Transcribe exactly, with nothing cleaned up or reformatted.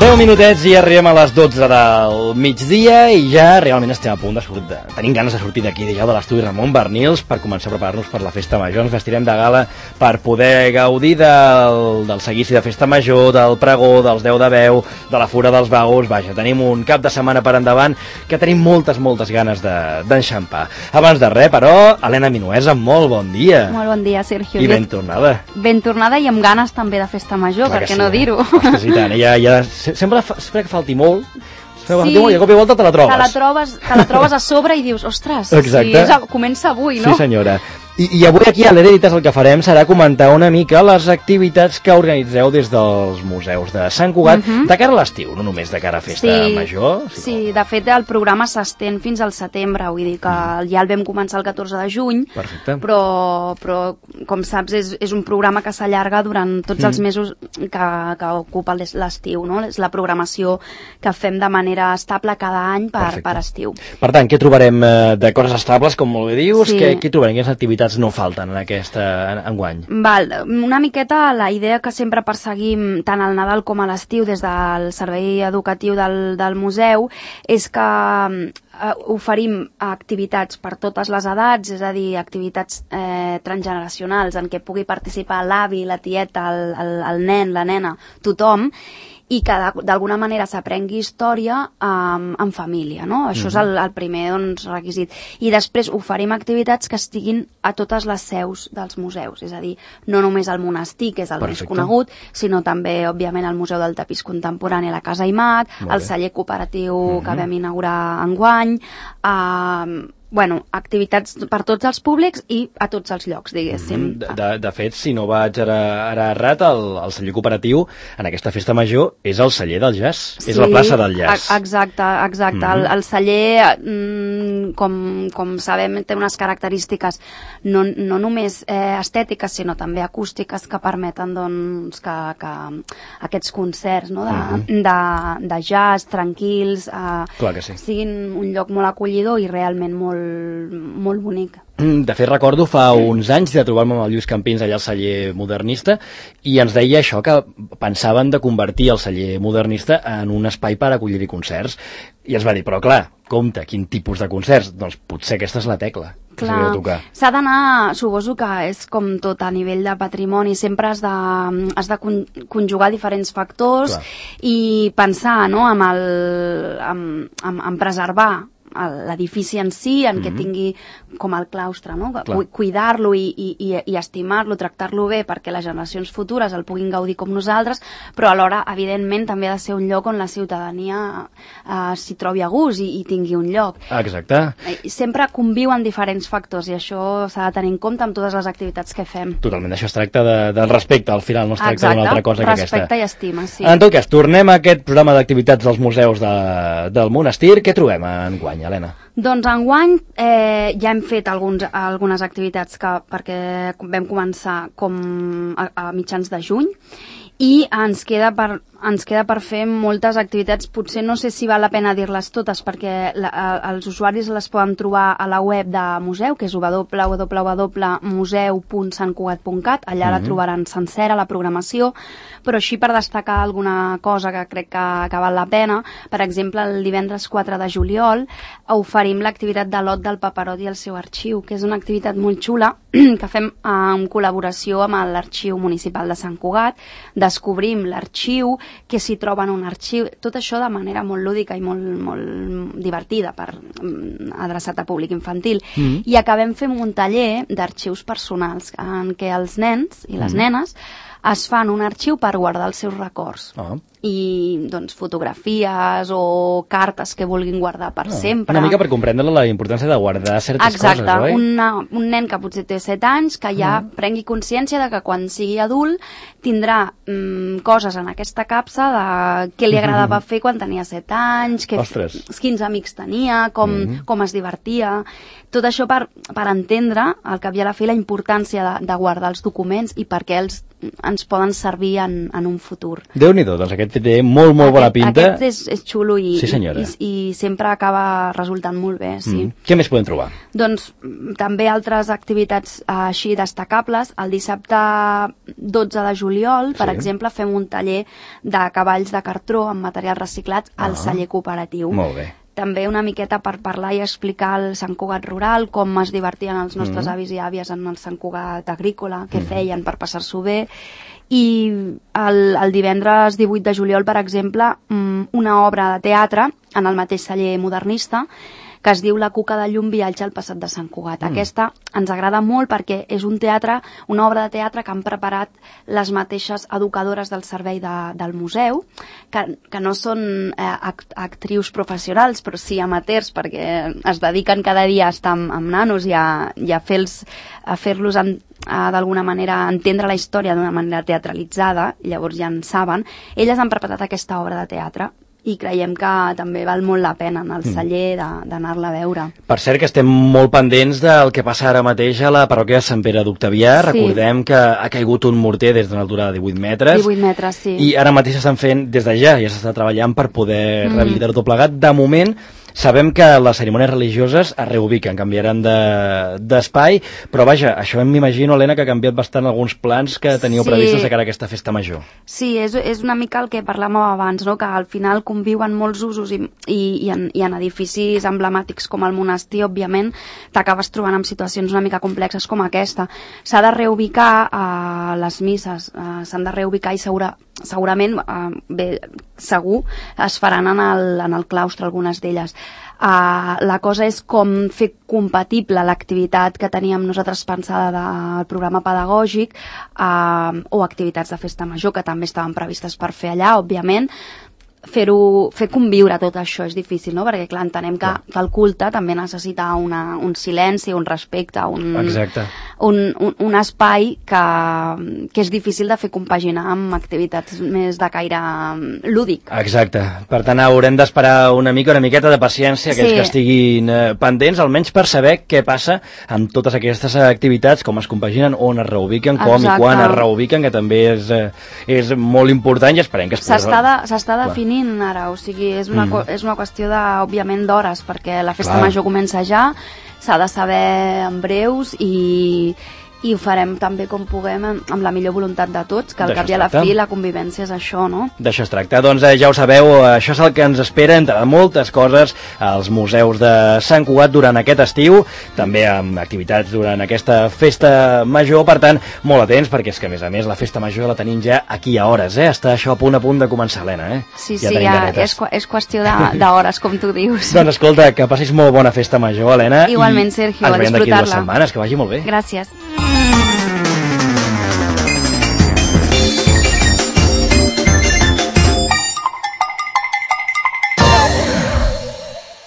deu minutets i arribem a les dotze del migdia i ja realment estem a punt de sortir. De... Tenim ganes de sortir d'aquí, ja de l'estudi Ramon Bernils per començar a preparar-nos per la festa major. Ens vestirem de gala per poder gaudir del, del seguici de festa major, del pregó, dels deu de veu, de la fura dels vagos. Vaja, tenim un cap de setmana per endavant que tenim moltes, moltes ganes d'enxampar. De, Abans de res, però, Helena Minuesa, molt bon dia. Molt bon dia, Sergio. I ben tornada. Ben tornada i amb ganes també de festa major, Clar per què sí, no dir-ho? Ostres, i tant, ja, ja, sempre, sempre que falti molt, sempre sí, que falti molt, i a cop i volta te la trobes. Te la trobes, te la trobes a sobre i dius, ostres, Exacte. si és, comença avui, no? Sí, senyora. I, i avui aquí a l'Hereditas el que farem serà comentar una mica les activitats que organitzeu des dels museus de Sant Cugat, uh -huh. de cara a l'estiu, no només de cara a festa sí, major. Sí, sí, de fet el programa s'estén fins al setembre, vull dir que mm. ja el vam començar el catorze de juny, perfecte. Però, però com saps és, és un programa que s'allarga durant tots mm. els mesos que, que ocupa l'estiu, no? És la programació que fem de manera estable cada any per, per estiu. Per tant, què trobarem eh, de coses estables, com molt bé dius? Sí. Què, què trobarem? Quines activitats no falten en aquesta enguany? Val, una miqueta la idea que sempre perseguim tant al Nadal com a l'estiu des del servei educatiu del, del museu és que eh, oferim activitats per totes les edats, és a dir, activitats eh, transgeneracionals en què pugui participar l'avi, la tieta, el, el, el nen, la nena, tothom, i que d'alguna manera s'aprengui història um, en família, no? Això mm-hmm. és el, el primer doncs, requisit. I després oferim activitats que estiguin a totes les seus dels museus, és a dir, no només al monestir, que és el Perfecte. Més conegut, sinó també, òbviament, al Museu del Tapís Contemporani a la Casa Imat, al celler cooperatiu mm-hmm. que vam inaugurar enguany, eh, bueno, activitats per tots els públics i a tots els llocs, diguéssim. De, de, de fet, si no vaig ara, ara errat, el, el celler cooperatiu en aquesta festa major és el celler del jazz, sí, és la plaça del jazz. Exacte, exacte. Mm-hmm. el, el celler, mm, com, com sabem, té unes característiques no, no només eh, estètiques, sinó també acústiques que permeten doncs, que, que aquests concerts no, de, mm-hmm. de, de jazz, tranquils, eh, Clar que sí. siguin un lloc molt acollidor i realment molt molt bonic. De fet, recordo fa uns anys de trobar-me amb el Lluís Campins allà al celler modernista i ens deia això, que pensaven de convertir el celler modernista en un espai per acollir-hi concerts. I ens va dir, però clar, compte, quin tipus de concerts? Doncs potser aquesta és la tecla. Clar, s'ha d'anar, suposo que és com tot a nivell de patrimoni, sempre has de, has de conjugar diferents factors Clar. I pensar no, amb el, amb, amb, amb preservar l'edifici en si, en mm-hmm. què tingui com el claustre, no? Cuidar-lo i, i, i estimar-lo, tractar-lo bé perquè les generacions futures el puguin gaudir com nosaltres, però alhora, evidentment, també ha de ser un lloc on la ciutadania eh, s'hi trobi a gust i, i tingui un lloc. Exacte. Sempre conviuen diferents factors i això s'ha de tenir en compte amb totes les activitats que fem. Totalment, això es tracta de, del respecte, al final no es tracta d'una altra cosa que aquesta. Respecte i estima, sí. En tot cas, tornem a aquest programa d'activitats dels museus de, del monestir. Què trobem enguany, Helena? Doncs enguany eh, ja hem fet alguns, algunes activitats que, perquè vam començar com a, a mitjans de juny i ens queda per, ens queda per fer moltes activitats, potser no sé si val la pena dir-les totes perquè la, els usuaris les poden trobar a la web de museu, que és w w w punt museu punt sant cugat punt cat, allà mm-hmm. la trobaran sencera, la programació, però així per destacar alguna cosa que crec que, que val la pena, per exemple el divendres quatre de juliol oferim l'activitat de l'Ot del Paperot i el seu arxiu, que és una activitat molt xula que fem en col·laboració amb l'Arxiu Municipal de Sant Cugat. Descobrim l'arxiu, que s'hi troba en un arxiu, tot això de manera molt lúdica i molt, molt divertida per adreçat a públic infantil. Mm. I acabem fent un taller d'arxius personals en què els nens i les mm. nenes es fan un arxiu per guardar els seus records. Oh. I doncs fotografies o cartes que vulguin guardar per oh. sempre. Una mica per comprendre la importància de guardar certes Exacte. coses, oi? Exacte, un nen que potser té set anys que ja mm. prengui consciència de que quan sigui adult tindrà mm, coses en aquesta capsa de què li agradava mm. fer quan tenia set anys, que, quins amics tenia, com, mm. com es divertia. Tot això per, per entendre, al cap i a la fi, la importància de, de guardar els documents i per què els ens poden servir en, en un futur. Déu-n'hi-do, doncs aquest té molt, molt aquest, bona pinta. Aquest és, és xulo i, sí, i, i, i sempre acaba resultant molt bé, sí. Mm. Què més podem trobar? Doncs també altres activitats eh, així destacables. El dissabte dotze de juliol, per sí. exemple, fem un taller de cavalls de cartró amb materials reciclats al ah. celler cooperatiu. Molt bé. També una miqueta per parlar i explicar el Sant Cugat rural, com es divertien els nostres mm. avis i àvies en el Sant Cugat agrícola, què mm. feien per passar-s'ho bé. I el, el divendres divuit de juliol, per exemple, una obra de teatre en el mateix celler modernista, que es diu La Cuca de llum viatge al passat de Sant Cugat. Mm. Aquesta ens agrada molt perquè és un teatre, una obra de teatre que han preparat les mateixes educadores del servei de, del museu, que, que no són eh, act, actrius professionals, però sí amateurs, perquè es dediquen cada dia a estar amb, amb nanos i a, i a fer-los a fer-los d'alguna manera entendre la història d'una manera teatralitzada, llavors ja en saben. Elles han preparat aquesta obra de teatre i creiem que també val molt la pena en el celler d'anar-la a veure. Per cert, que estem molt pendents del que passa ara mateix a la parròquia de Sant Pere d'Octavià. Sí. Recordem que ha caigut un morter des d'una altura de divuit metres. divuit metres, sí. I ara mateix s'estan fent, des de ja, ja s'està treballant per poder mm. rehabilitar-ho tot plegat. De moment, sabem que les cerimònies religioses es reubiquen, canviaran d'espai, de, però vaja, això m'imagino, Helena, que ha canviat bastant alguns plans que teníeu sí. previstos de cara a aquesta festa major. Sí, és, és una mica el que parlàvem abans, no? Que al final conviuen molts usos i, i, i, en, i en edificis emblemàtics com el monestir, òbviament, t'acabes trobant en situacions una mica complexes com aquesta. S'ha de reubicar eh, les misses, eh, s'han de reubicar i segura, segurament, eh, bé, segur, es faran en el, en el claustre, algunes d'elles. Uh, la cosa és com fer compatible l'activitat que teníem nosaltres pensada del programa pedagògic uh, o activitats de festa major que també estaven previstes per fer allà, òbviament. Fer-ho, fer conviure tot això és difícil, no? Perquè, clar, entenem que, que el culte també necessita una, un silenci, un respecte, un, un, un, un espai que, que és difícil de fer compaginar amb activitats més de caire lúdic. Exacte. Per tant, haurem d'esperar una mica, una miqueta de paciència, aquells sí. que estiguin eh, pendents, almenys per saber què passa amb totes aquestes activitats, com es compaginen, on es reubiquen, com Exacte. I quan es reubiquen, que també és, eh, és molt important i esperem que es pugui... S'està definint ara, o sigui, és una, mm. és una qüestió de, òbviament, d'hores, perquè la festa Clar. Major comença ja, s'ha de saber en breus i, i ho farem també com puguem amb la millor voluntat de tots, que al cap i a la fi la convivència és això, no? D'això es tracta. Doncs eh, ja ho sabeu, això és el que ens espera, entre moltes coses, als museus de Sant Cugat durant aquest estiu, també amb activitats durant aquesta festa major, per tant, molt atents, perquè és que, a més a més, la festa major la tenim ja aquí a hores, eh? Està això a punt a punt de començar, Helena, eh? Sí, ja sí, ja és, és qüestió d'hores, com tu dius. Doncs escolta, que passis molt bona festa major, Helena. Igualment, Sergio, a disfrutar-la. Ens veiem d'aquí dues setmanes, que vagi molt bé. Gràcies.